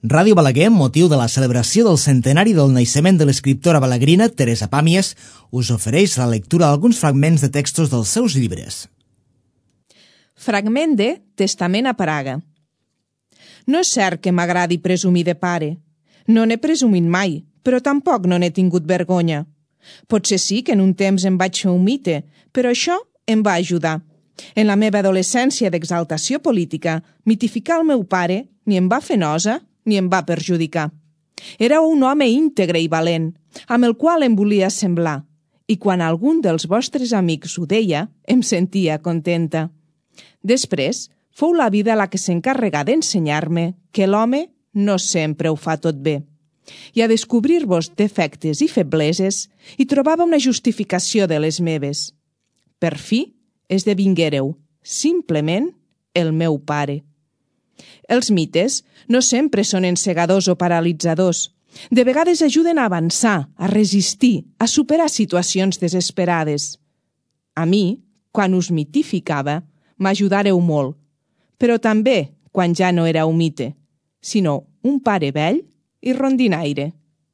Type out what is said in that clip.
Ràdio Balaguer, amb motiu de la celebració del centenari del naixement de l'escriptora balaguerina Teresa Pàmies, us ofereix la lectura d'alguns fragments de textos dels seus llibres. Fragment de Testament a Praga. No és cert que m'agradi presumir de pare. No n'he presumit mai, però tampoc no n'he tingut vergonya. Potser sí que en un temps em vaig fer un mite, però això em va ajudar. En la meva adolescència d'exaltació política, mitificar el meu pare ni em va fer nosa ni em va perjudicar. Era un home íntegre i valent, amb el qual em volia semblar, i quan algun dels vostres amics ho deia, em sentia contenta. Després, fou la vida la que s'encarregà d'ensenyar-me que l'home no sempre ho fa tot bé. I a descobrir-vos defectes i febleses, hi trobava una justificació de les meves. Per fi, esdevinguéreu, simplement, el meu pare. Els mites no sempre són encegadors o paralitzadors. De vegades ajuden a avançar, a resistir, a superar situacions desesperades. A mi, quan us mitificava, m'ajudareu molt, però també quan ja no era un mite, sinó un pare vell i rondinaire.